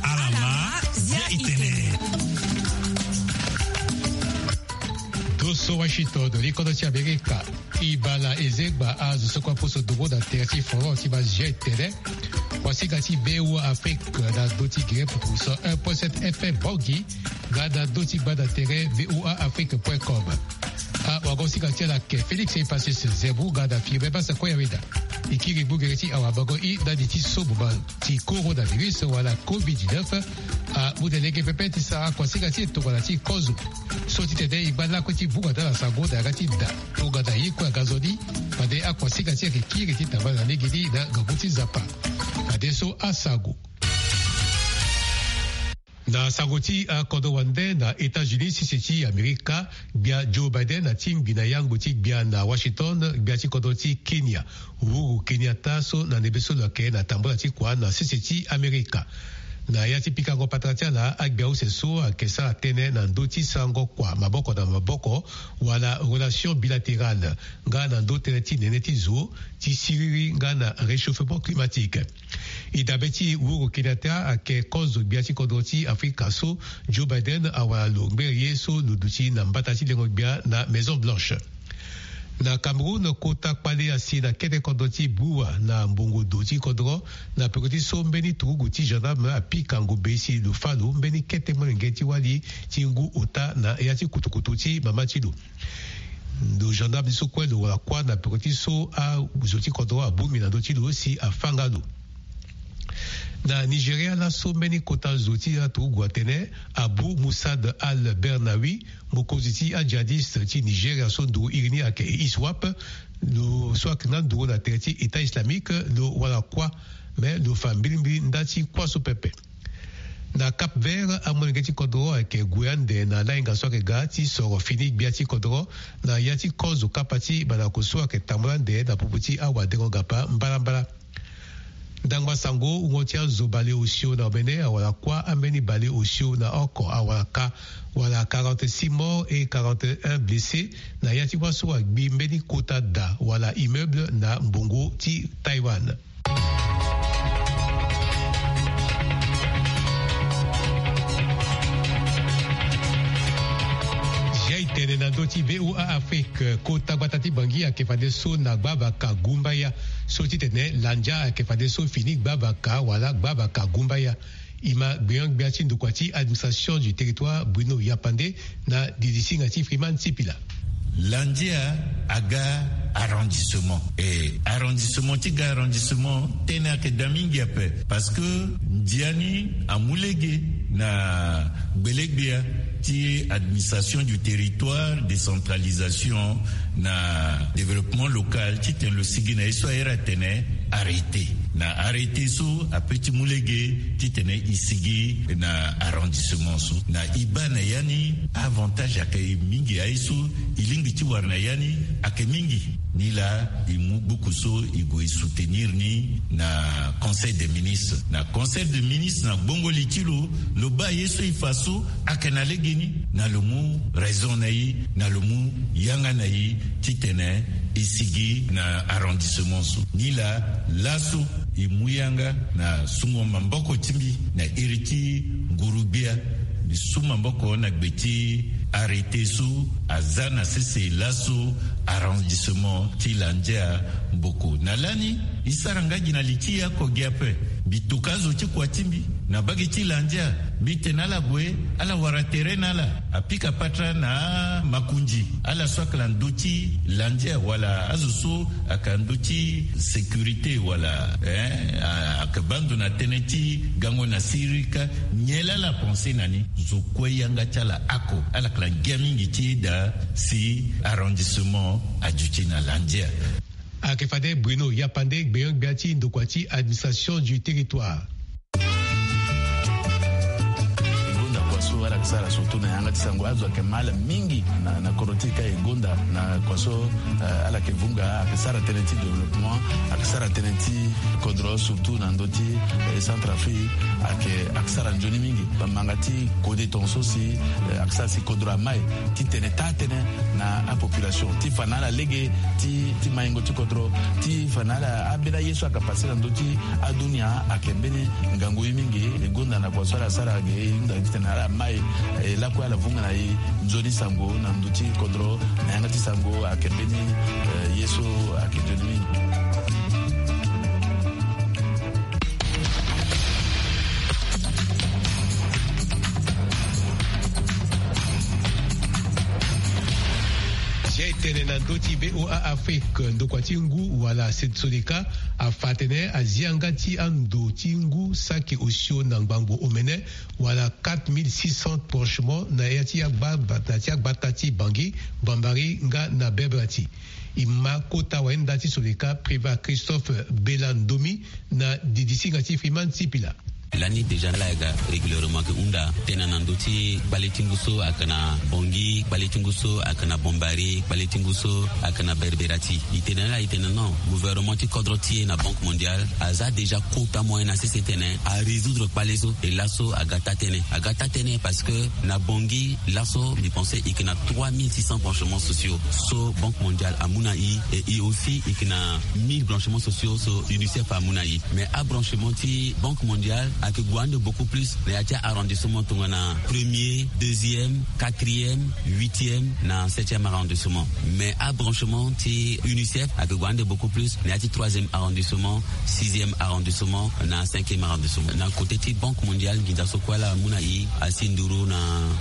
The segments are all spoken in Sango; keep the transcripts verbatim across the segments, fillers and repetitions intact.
Alama, zia itene. Toso Washington, likodo ti Amerika. Ibala ezegba azo soko aposo dogo na tere ti forum ti bazia itene. Wasinga ti V O A Afrique na do ti gere puku so un point sept F M Bangui, nga na do ti gbanda tere V O A Afrique point com. Awagosinga ti ala ayeke Félix Epasis Zembu nga na Firmin Basa Koyaweda. E kiri gbu gere ti awabango i ndani ti so mo ma ti coronavirus wala covid dix-neuf. Amu na lege pepe ti sara akuasinga ti e tongana ti kozo. So ti tene e ngba lakue ti bunga na ala sango na yanga ti da tongana ye kue aga nzoni. Fade akuasinga ti e ayeke kiri ti tambala na legeni na ngangu ti Nzapa. Fadeso asango. Na sango ti akodro wande na États-Unis, sese ti Amerika, gbia Joe Biden atingbi na yangbo ti gbia na Washington gbia ti kodro ti Kenya, Uhuru Kenyatta, so na ndembe so lo yeke na tambula ti kua na sese ti Amerika. Na ya ti pikango patara ti ala, agbia use so ayeke sara tënë na ndö ti sarango kua maboko na maboko, wala relation bilatérale, nga na ndö tënë ti nene ti zo ti siriri nga na réchauffement climatique. E dabe ti Uhuru Kenyatta ayeke kozo gbia ti kodro ti Afrika so Joe Biden awara lo ngbere ye so lo duti na mbata ti lengo gbia na Maison Blanche. Na Cameroun, kota kpale asi na kete kodro ti Boua na mbongo do ti kodro, na peko ti so mbeni turugu ti gendarme apika ngombe si lo fâ lo mbeni kete molenge ti wali ti ngu ota na ya ti kutukutu ti mama ti lo. Ndo gendarme ti so kue lo wara kuâ na peko ti so azo ti kodro abongbi na ndö ti lo si afâ nga lo. Na Nigeria laso, mbeni kota zo ti aturugu atene Abu Musad al-Bernawi, mokonzi ti ajihadiste ti Nigeria so nduru iri ni ayeke ISWAP, lo so ayeke nga nduru na tere ti État islamique, lo wara kuâ. Me lo fa mbilimbili nda ti kuâ so pepe. Na Cap Vert, amolenge ti kodro ayeke gue ande na lahinga so ayeke ga ti soro fini gbia ti kodro na ya ti kozo kapa ti bandako so ayeke tambula ande na popo ti awadengo gapa mbalambala. Ndangba sango, wungo ti azo baleosio na omene awara kuâ, ambeni baleosio na oko awara ka, wala quarante-six morts et quarante et un blessés, na ya ti wâ so agbi mbeni kota da wala immeuble na mbongo ti Taïwan. Zia itene na ndö ti V O A Afrique, kota gbata ti Bangui ayeke fadeso na gbavaka gumbaya. So ti tene Landia ayeke fadeso fini gbavaka wala gbavaka gumbaya. E ma gbenyo-gbia ti ndokua ti administration du territoire Bruno Yapande na didisinga ti Freeman Sipila. Landia aga arrondissement. E arrondissement ti ga arrondissement, tënë ayeke daa mingi ape. Parce que ndia ni amu lege na gbelegbia ti administration du territoire, décentralisation na développement local, titene lo sigi na ye so ahiri atene arrêté. Na arrêté so ape ti mu lege titene e sigi na arrondissement so. Na e baa na ya ni, avantage ayeke mingi. Aye so e lingbi ti wara na ya ni ayeke mingi. Nilaa e mu buku so e gue e soutenir ni na Conseil des ministres. Na Conseil des ministres, na gbongo li ti lo, lo baa ye so e fa so ayeke na legeni, na lo mu raison na e, na lo mu yanga na e titene e sigi na arrondissement so. Nilaa laso e mu yanga na sungo maboko ti mbi na iri ti nguru-gbia. Mbi su maboko na gbe ti arrêté so aza na sese laso arrondissement ti Landia Mboko. Na lani e sara nga gi na li ti e oko gi ape. Mbi toka azo ti kua ti mbi na mbage ti Landia, mbi tene ala gue, ala wara tere na ala. Apika patara na amakonzi, ala so ayeke na ndö ti Landia wala azo so ayeke na ndö ti sécurité wala, eh, a- ayeke baa ndo na tënë ti gango na siriri kâ. Nyen laa ala pense na ni? Zo kue yanga ti ala oko, ala yeke na ngia mingi ti daa si arrondissement aduti na Landia. Ayeke fade Bruno Yapande, gbenyo-gbia ti ndokua ti administration du territoire. E gonda kua so ala yeke sara surtout na yanga ti sango, azo ayeke mal mingi na, na kodro ti e ka. E gonda na kua so, eh, ala yeke vunga, ayeke sara tënë ti développement, ayeke sara tënë ti kodro, surtout na ndö ti, eh, Centrafrique, ayeke, ayeke sara nzoni mingi. Bamanga ti kode tongaso si, eh, ayeke sara si kodro amai titene taa tënë na apopulation, ti fa na ala lege ti, ti maingo ti kodro, ti fa na ala ambeni aye so ayeke pase na ndö ti adunia ayeke mbeni ngangu ye mingi. Gonda na kua so ala sara ge, e hunda titene ala mai, eh, lakue ala vunga na e nzoni sango na ndö ti kodro, na yanga ti sango ayeke mbeni, eh, ye so ayeke nzoni mingi. Zia e tene na ndö ti V O A Afrique, ndokua ti ngu wala se-, sodeka afa atene azi yanga ti ando ti ngu saki osio na ngbangbo omene, wala quatre mille six cents branchements na ya ti agba-, na ti agbata ti Bangui, Bambari nga na Berberati. E ma kota wayenda ti sodeka Privat Christophe Bela Ndomi na didisinga ti Freeman Sipila. Lani déjà ala yeke régulièrement ayeke hunda tënë na ndö ti kpale ti ngu so ayeke na Bangui, kpale ti ngu so ayeke na Bambari, kpale ti ngu so ayeke na Berberati. E tene na ala, e tene non, gouvernement ti kodro ti e na Banque Mondiale aza déjà kota moyen na sese titene arésoudre kpale so. E laso aga taa-tënë, aga taa-tënë parce que na Bangui laso, mbi pense e yeke na trois mille six cents branchements sociaux so Banque Mondiale amu na e, et e aussi e yeke na mille branchements sociaux so UNICEF amu na e. Mais abranchement ti Banque Mondiale ayeke gue ande beaucoup plus na ya ti arrondissement tongana premier, deuxième, quatrième, huitième na septième arrondissement. Mais abranchement ti UNICEF ayeke gue ande beaucoup plus na ya ti troisième arrondissement, sixième arrondissement na cinquième arrondissement. Na côté ti Banque Mondiale, nginza so kue ala mu na e asi nduru na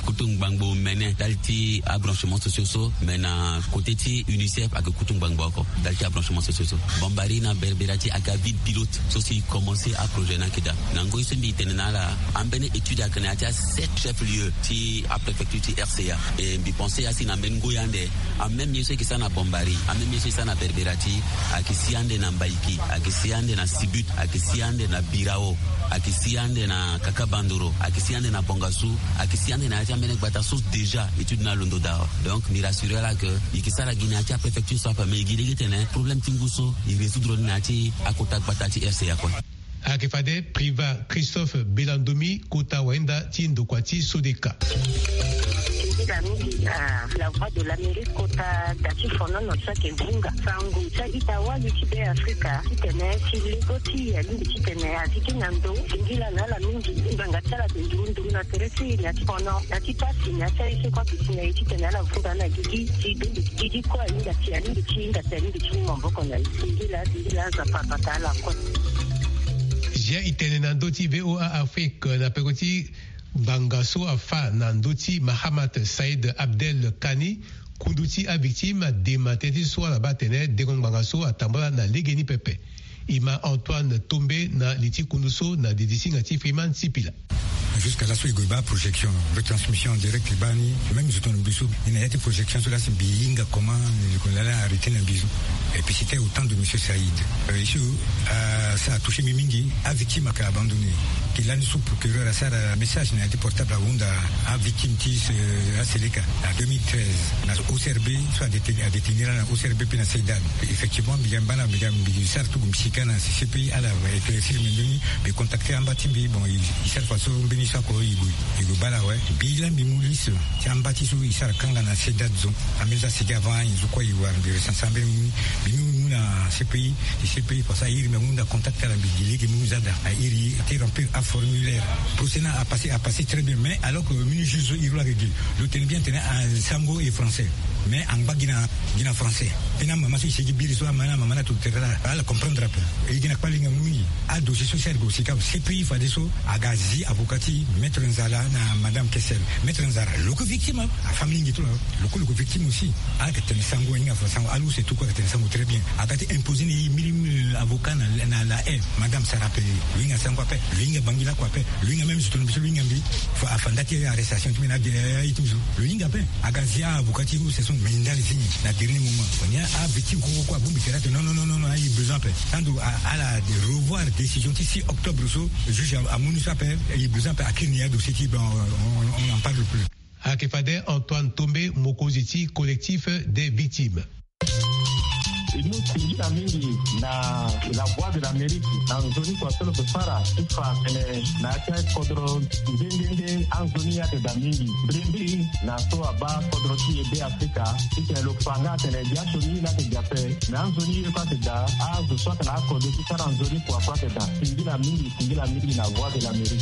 kutu ngbangbo mene ndali ti abranchement sociaux so, mais na côté ti UNICEF ayeke kutu ngbangbo oko ndali ti abranchement sociaux so. Bambari na Berberati ayeke aville pilote so si e commencé aprojet ni ayeke daa. Na ngoi so mbi tene na ala, ambeni étude ayeke na ya ti asept chef-lieu ti apréfecture ti R C A. Et mbi pense asi na mbeni ngoi ande, ameme ye so e yeke sara na Bambari, ameme ye so e sara na Berberati, ayeke si ande na Mbaïki, ayeke si ande na Sibut, ayeke si ande na Birao, ayeke si ande na Kakabandoro, ayeke si ande na Bangassou, ayeke si ande na ya ti ambeni gbata so déjà étude ni alondo daa awe. Donc mbi rassurer ala que e yeke sara gi na ya ti apréfecture so ape, mais e gi lege titene problème ti ngu so e résoudre ni na ya ti akota gbata ti R C A kue. Ayeke fade Privat Christophe Bela Ndomi, kota wayenda ti ndokua ti sodeka. Nzila mingi na La Voix de l'Amérique kota da ti fonono so ayeke vunga sango ti a-ita-wali ti Beafrika titene ti lego ti e alingbi titene azi ti na ndo. Singila na ala mingi ngbanga ti ala ayeke nduru nduru na tere ti e na ya ti fono, na ya ti pasi, na ya ti aye so kue ayeke si na e titene ala vunga na gigi ti bembe gigi kue ahinga ti, alingbi ti hinga ti, alingbi ti mu maboko na e. Singila, singila, Nzapa abata ala kue. Zia e tene na ndö ti V O A Afrique na peko ti ngbanga so afa na ndö ti Mahamat Saïd Abdel Kani, kundu ti avictime adema tënë ti so ala baa atene dengo ngbanga so atambula na legeni pepe. E ma Antoine Tombe na li ti kundu so na didisinga ti Freeman Sipila. Jusqu'à laso e gue baa projection, retransmission en direct e baa ni. Même zo tongana mbi so, e na ya ti projection so laa si mbi hinga comment e ko laa arrêté na mbi so. Et puis c'était au temps de monsieur Saïd. Euh, issue, euh, ça a touché mbi mingi. Avictime ayeke abandonné. Ke lani so procureur asara message na ya ti portable ahunda avictime ti ce, aseleka na deux mille treize na O C R B, so adétenir, adétenir ala na O C R B mpe na CEDAD. Effectivement mbi ga mbi baa na, mbi ga mbi sara tugu mbi sika na C P I ala éclaircir mbi mbeni. Mbi contacter amba ti mbi, bon, e, e sara fadeso mbeni so ako e gue, e gue baa ala awe. Mbi laa mbi mu liste ti amba ti so e sara kanga na CEDAD zo. Ambeni so asigi avant anyen so kue e wara mbi recenser ambeni mu ni. Mbi mu, mu na C P I, ti C P I parce que a iri mbi ahunda contact ala mbi gi lege mu ni za daa. A iri ti remplir aformulaire. Procès ni apasser, apasser très bien. Mais alors que mbeni juge so iri lo ayeke gi, lo tene bien tene asango e français. Mais angba gi na, gi na français. Tena mama so e sigi biri so, amama na mama na to tere ala, ala comprendre ape. E gi na kpale hingangu mingi. Adossier so si ala gue sika ape, C P I fadeso aga zi avocat ti Maître Nzala na Madame Kessel. Maître Nzala lo yeke victime, afamille ngi ti lo, lo kue lo yeke victime aussi. Ala yeke tene sango, ahinga fa sango, ala use tout kue ayeke tene sango très bien. Aga ti imposer ni ye mbiri, euh, avocat na, na la haie. Madame sara ape, lo hinga sango ape, lo hinga Bangui lakue ape, lo hinga même zo tongana mbi so lo hinga mbi. Fa, afa nda ti arrestation ti mbi na, eh, aye ti mbi so. Lo hinga ape. Aga zi avocat ti use so, mais ndali ti ni na dernier moment. Ni avictime koko kue abongbi tere ate non, non, non, non, aye besoin ape. Tandu a, ala revoir décision ti six octobre so, juge a, amu ni so ape, aye besoin ape, akiri ni adossier ti, bon, on, on, on n'en parle plus. Ayeke fade Antoine Tombe, mokonzi ti Collectif des victimes. E mu singila mingi na La Voix de l'Amérique na nzoni kua so lo yeke sara ti fa atene na ya ti akodro nde nde nde anzoni ye ayeke daa mingi. Mbrimbri na so abaa kodro ti e Beafrika titene lo fa nga atene biaso ni la ayeke daa ape, me anzoni ye kue ayeke daa, azo so ayeke na akodro ti sara nzoni kua kue ayeke daa. Singila mingi, singila mingi na Voix de l'Amérique.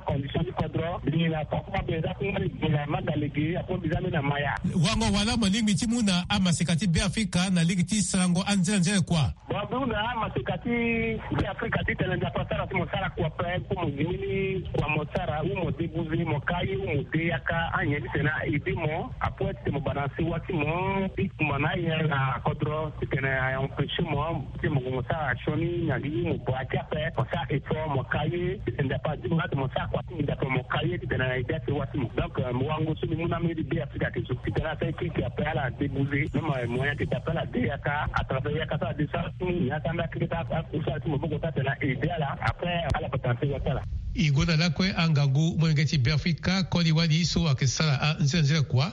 acondition ti kodro. Mbi na papa mbi eza kungba ni mbi na maga lege apo mbi za mbi na maya. Wango wala mo lingbi ti mu na amaseka ti Beafrika na lege ti sarango anzela nzela kua? Bon, mbi hunda amaseka ti Beafrika titene Nzapa asara ti mo sara kua ape, mpo mo zi mbeni kua mo sara, ou mo débouser, mo ka ye, ou mo de yaka, anyen titene a aider mo. Apoe titene mo bana sewa ti mo ti kumba na aye na kodro titene a empêcher mo ti mo gue mo sara sioni na li, ou mo bra ti ape, mo sara effort, mo ka ye titene Nzapa azi mo laa mo sara kua ti mbi, Nzapa mo ka ye titene a aider asewa ti mo. Donc, euh, mo wango so mbi mu na mbeni Beafrika ayeke so titene asara keke ape ala débouser, même, euh, moyen ayeke so ape ala de yaka, à travers yaka so ala de sara ti mo, ni ata anda keke so ala kusala ti maboko so atene a aider ala, après ala bata na sewa ti ala. E gue na lakue angangu molenge ti Beafrika koli wali so ayeke sara anzela nzela kua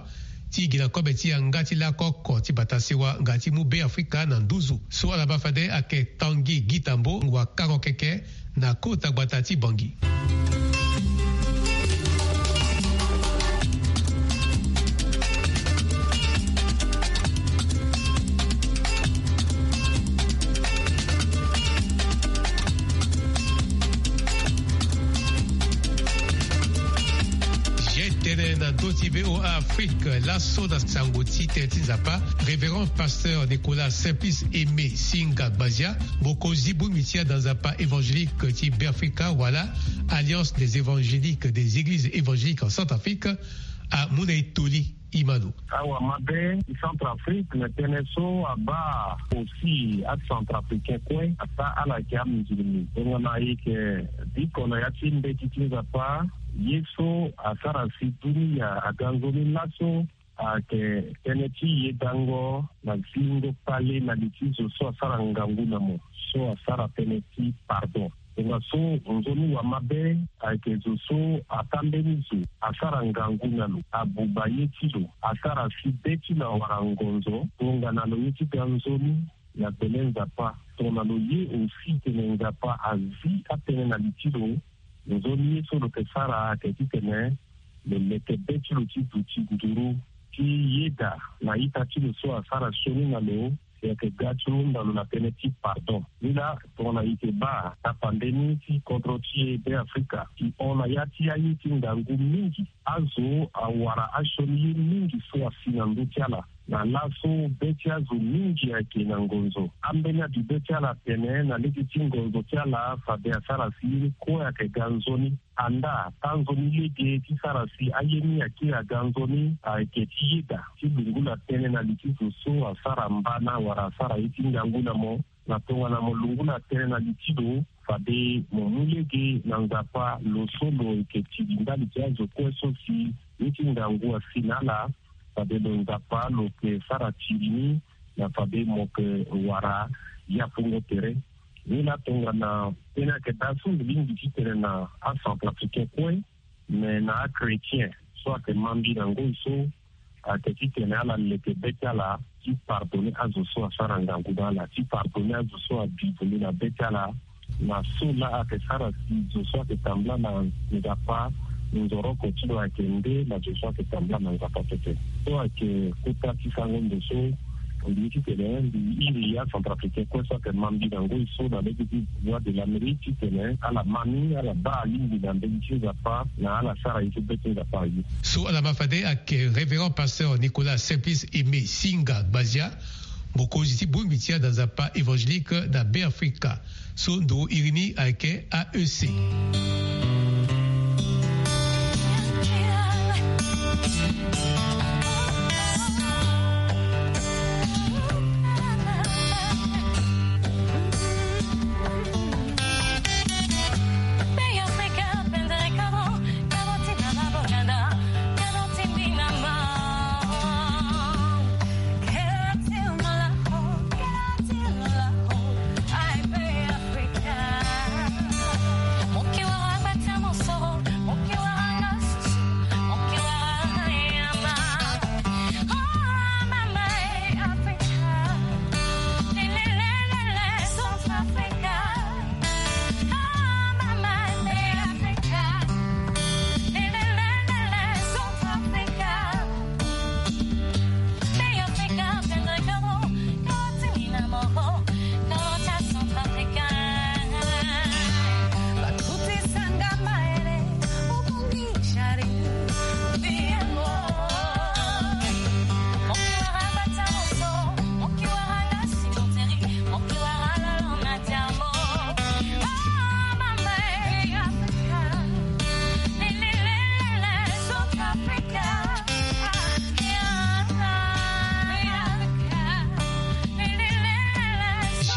ti gi na kobe ti yanga ti lako oko ti bata sewa nga ti mu Beafrika na nduzu. So ala baa fade ayeke Tanguy Guitambot, wakango keke na kota gbata ti Bangui. Tene na ndö ti V O A Afrique, laso na sango ti tene ti Nzapa, Révérend Pasteur Nicolas Simplice Aimé Singa Gbazia, mokonzi bongbi ti ada Nzapa évangélique ti Beafrika wala Alliance des évangéliques des églises évangéliques en Centrafrique, amu na e toli. Imano. Awa mabe ti Centrafrique na tënë so abaa aussi aCentrafricain kue, ata ala yeke amusulmi. Tongana e yeke biko na ya ti mbeti ti Nzapa, ye so asara si dunia aga nzoni laso ayeke tënë ti yedango na zingo kpale na li ti zo so asara ngangu na mo, so asara tënë ti pardon. Tongaso nzoni wa mabe ayeke zo so ata mbeni zo asara ngangu na lo, abuba ye ti lo, asara si be ti lo awara ngonzo, tongana lo ye ti ga nzoni na gbele Nzapa. Tongana lo ye aussi tene Nzapa azi atënë na li ti lo, nzoni ye so lo yeke sara ayeke titene lo leke be ti lo ti duti nduru ti yeda na ita ti lo so asara sioni na lo, si ayeke ga ti hunda lo na tënë ti pardon. Ni laa tongana e yeke baa tapande ni ti kodro ti e Beafrika, e hon na ya ti aye ti ngangu mingi. Azo awara asioni ye mingi so asi na ndö ti ala. Na laso be ti azo mingi ayeke na ngonzo. Ambeni abi be ti ala atene na lege ti ngonzo ti ala fade asara si ye ni kue ayeke ga nzoni. Andaa taa nzoni lege ti sara si aye ni akiri aga nzoni ayeke ti yeda ti lungula tënë na li ti zo so asara mbana wala asara ye ti ngangu na mo. Na tongana mo lungula tënë na li ti lo, fade mo mu lege na Nzapa lo so lo yeke tiri ndali ti azo kue so si ye ti ngangu asi na ala. Fade lo Nzapa lo yeke sara tiri ni na fade mo yeke wara yapungo tere. Ni la tongana tënë ayeke daa so mbi lingbi ti tene na acentrafricain kue, me na achrétien so ayeke ma mbi na ngoi so, ayeke titene ala leke be ti ala ti pardonner azo so asara ngangu na ala, ti pardonner azo so abi vundu na be ti ala. Na so laa ayeke sara si zo so ayeke tambula na Nzapa nzoroko ti lo ayeke nde na zo so ayeke tambula na Nzapa pepe. So ayeke kota ti sango ndo so mbi ye titene mbi iri acentrafricain kue so ayeke ma mbi na ngoi so na lege ti Voix de l'Amérique titene ala ma ni, ala baa alingbi na mbeni ti Nzapa na ala sara ye so be ti Nzapa aye. So ala ma fade ayeke révérend pasteur Nicolas Simplice Aimé Singa Gbazia, mokonzi ti bongbi ti anda Nzapa évangélique na Beafrika. So nduru iri ni ayeke A E C.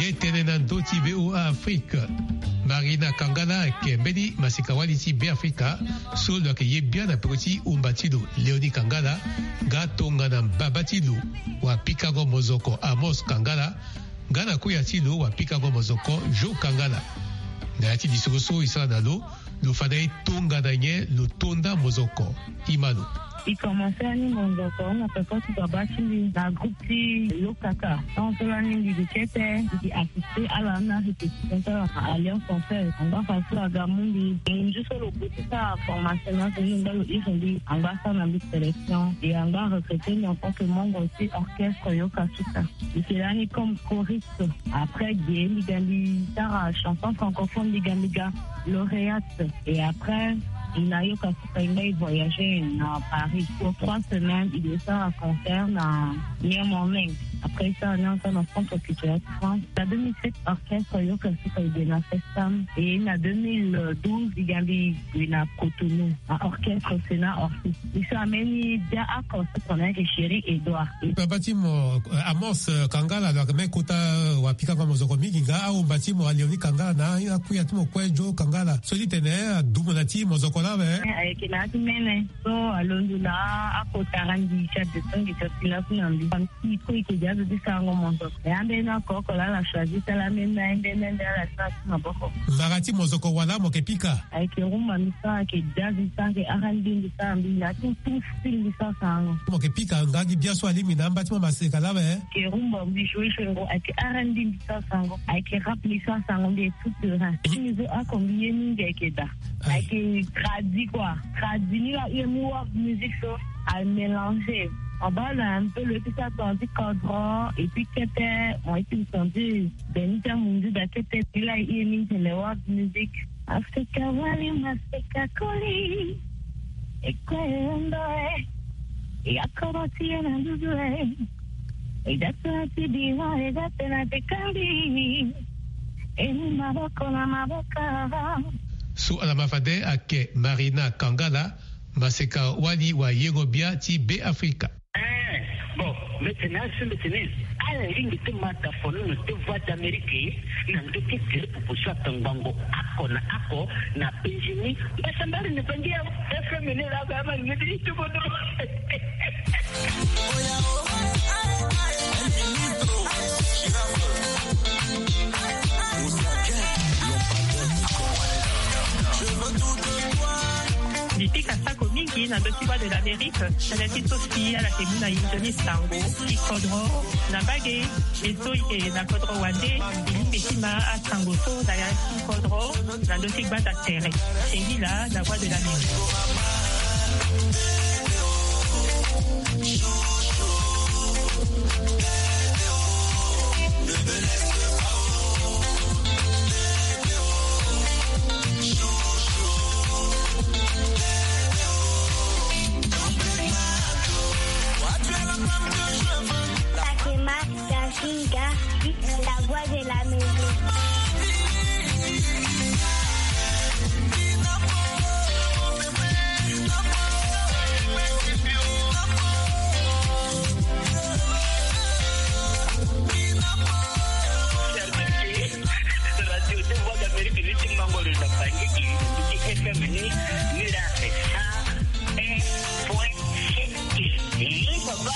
Ye tene na ndö ti V O A Afrique. Marina Kangala ayeke mbeni maseka-wali ti Beafrika so lo yeke ye bian na peko ti umba ti lo, Léonie Kangala, nga tongana mbaba ti lo wapikango mozoko Amos Kangala, nga na kuya ti lo wapikango mozoko Jo Kangala. Na ya ti lisoro so e sara na lo, lo fa na e tongana nyen lo to nda mozoko. Ima lo. E komanse ani mozoko na peko ti baba ti mbi na groupe ti Yokaka. Tant so lani mbi gi kete, mbi gi assisté ala na répétition ti ala na Alliance Française. Angba fa so aga mu mbi. Ngu so lo gue ti sara formation na so ni angba lo iri mbi, angba asara na mbi sélection. E angba arecruté mbi en tant que membre ti orchestre Yokasuka. Mbi yeke lani comme choriste. Après ge mbi ga mbi sara chanson francophone, mbi ga mbi ga lauréate. Et après, mbi na Yokasuka e nga e voyagé na Paris pour trois semaines. E sara concert na Mia Morning. Après ça, on est ensemble en centre culturel France. En deux mille sept, orchestre Yokasuka e gue na Festam. Et na deux mille douze, mbi ga mbi gue na Cotonou, na orchestre Sénat Orpheus. E so ambeni dia oko so tongana ayeke Chéri Edouard. Baba ti mo, eh, Amos, eh, Kangala, lo yeke même kota, eh, wapikango mozoko mingi nga ahumba ti mo Léonie Kangala na akuya ti mo kue Jo Kangala. So ti tene, eh, adumu na ti mozoko laa awe. Eh, ayeke na ya ti mene. So alondo na akota randi ti adetongi ti asi laso na mbi. Famille ti e kue e yeke gi azo ti sarango mozoko. E ambeni oko oko laa ala choisi ti ala meme, ambeni ande ala sara ti maboko. Mara ti mozoko wala mo yeke pika? Ayeke rumba mbi sara, ayeke jazz mbi sara, ayeke R and B mbi sara, mbi na tout, tout style mbi sara sarango. Mo yeke pika nga gi bia so alingbi na amba ti mo maseka laa awe? Ayeke rumba mbi joue joue ngo, ayeke R and B mbi sara sarango, ayeke rap mbi sara sarango, mbi est tout terrain. Ti mbi so oko mbi ye mingi ayeke da. Aïe. Ayeke tradi quoi. Tradi ni la, e mu world music so a mélanger. Mo baa lo un peu lo ye ti sara tongana ti kodro, et puis kete mo ye ti senti beni ti amunzu da kete. Ni la e ye mingi tene world music. Afrika wali maseka koli. E kue e hunda e. E akoro ti e na nduzu e. Eda tena ti bira, eda tena ti kari. Eni maboko na maboko. So ala ma fade ake Marina Kangala, maseka wali wa yengo bia ti Be Afrika. Eh, bon, mete na asu mete ni. Ala ringi ti mata fono na ti Voix d'Amérique, na ndo ti tele popo so atangbango ako na ako na Benjini. Mbasambari ni bangi ya F M ni la ba ma ngedi ti bodo. Mbi pika sako mingi na ndö ti Voix de l'Amérique, tënë ti so si ala yeke mu na e nzoni sango ti kodro na mbage. E so e yeke na kodro wande, e lingbi ti ma asango so na ya ti kodro na ndö ti gbanda tere. Singila na Voix de l'Amérique. Takema Kasinga, la voix de la maison. Radio ti Voix d'Amérique ni ti Mangoro na Bangui, ti F M ni, ni la un point sept. Eh, papa.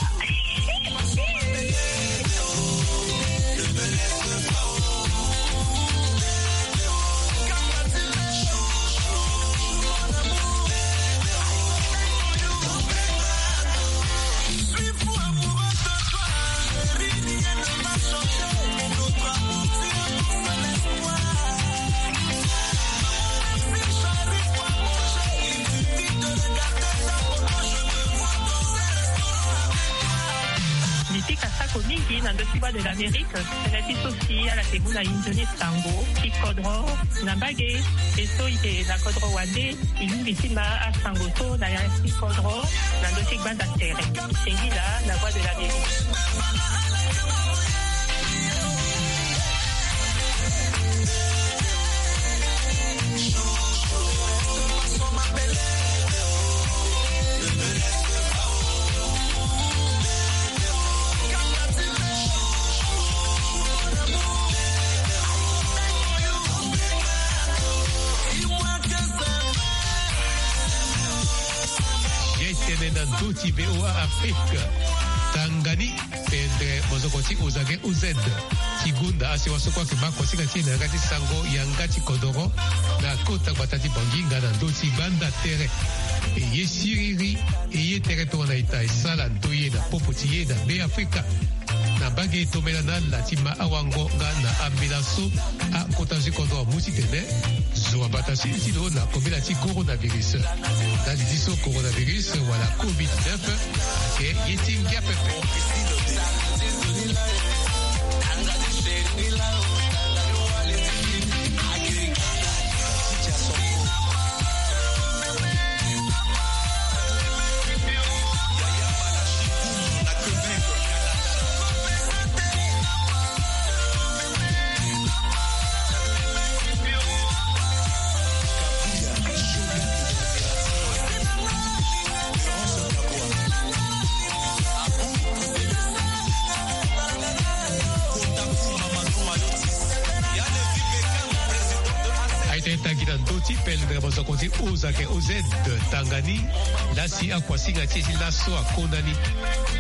Mbi pika sako mingi na ndö ti Voix de l'Amérique, tënë ti so si ala yeke mu na e nzoni sango ti kodro na mbage. E so e yeke na kodro wande, e lingbi ti ma asango so na ya ti kodro na ndö ti gbanda tere. Singila na Voix de l'Amérique. Ye tene na ndö ti V O A Afrique. Tanga ni. Tendre mozoko ti Ozage O Z ti gonda asiwa so kue ayeke ma kosinga ti e na yanga ti sango yanga ti kodoro na kota gbata ti Bangui nga na ndö ti gbanda tere. E ye siriri, e ye tere tongana ita e sala ndoye na popo ti e na Be Afrika. Na mbage e tombela na ala ti ma awango nga na ambela so akota zo ti kodro amu titene zo abata sili ti lo na kobela ti coronavirus. Ndali ti so coronavirus wala covid neuf ayeke ye ti ngia pepe. Aita e tangi na ndö ti pendre mozoko ti Ozake O Z tanga ni. Lasi akuasinga ti e ti laso akonda ni.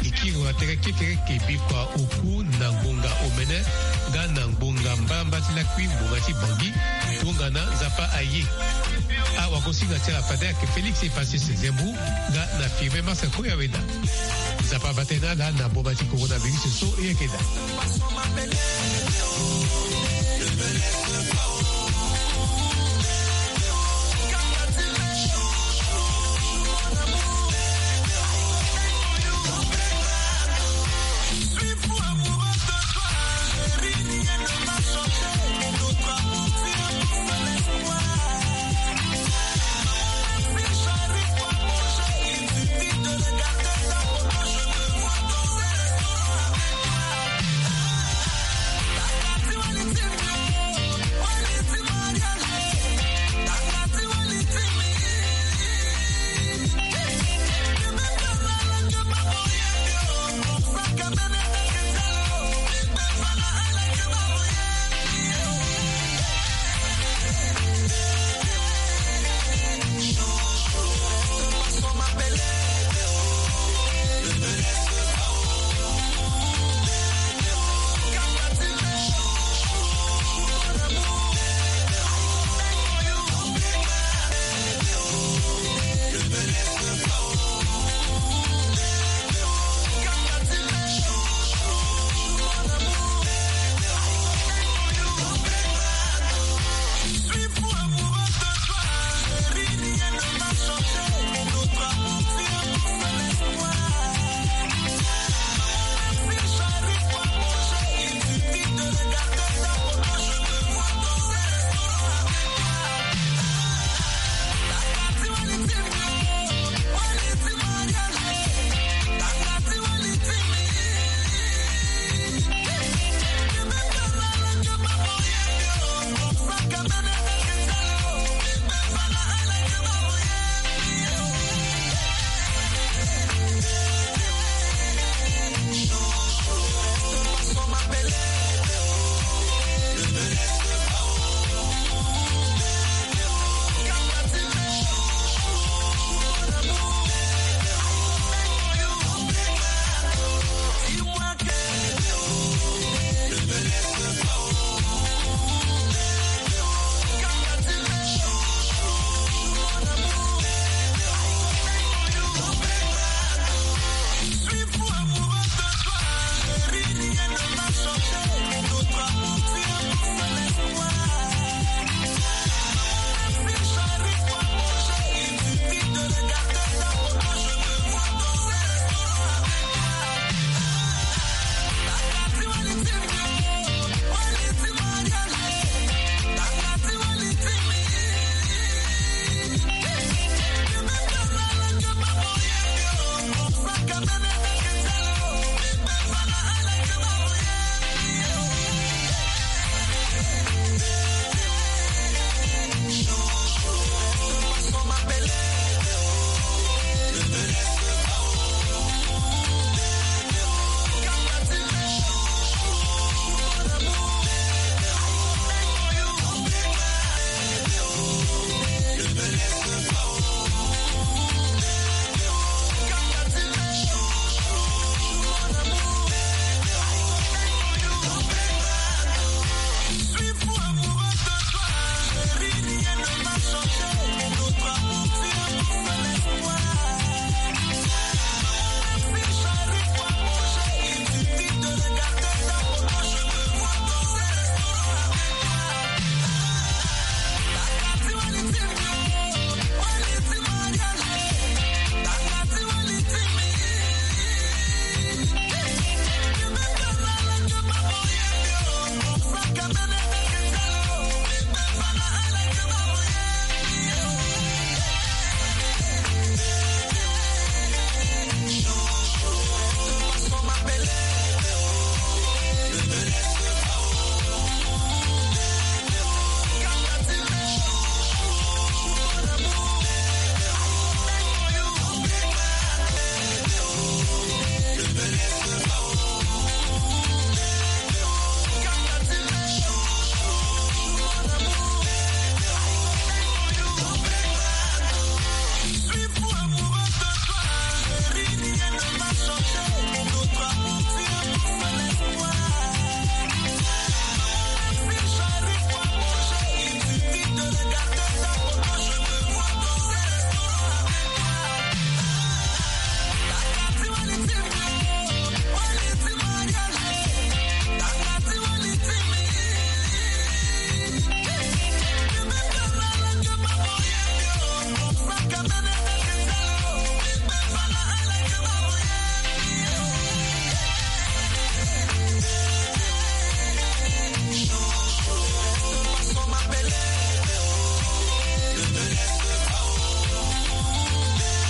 E kiri na tere kekereke bikua oku na ngbonga omene nga na ngbonga mbalambala ti lakui ngbonga ti Bangui. Tongana Nzapa aye. Awagosinga ti ala fade ayeke Félix Epassis Zembrou nga na Firmin Mars Koyaweda. Nzapa abata ni na ala na mboma ti coronavirus so e yeke daa.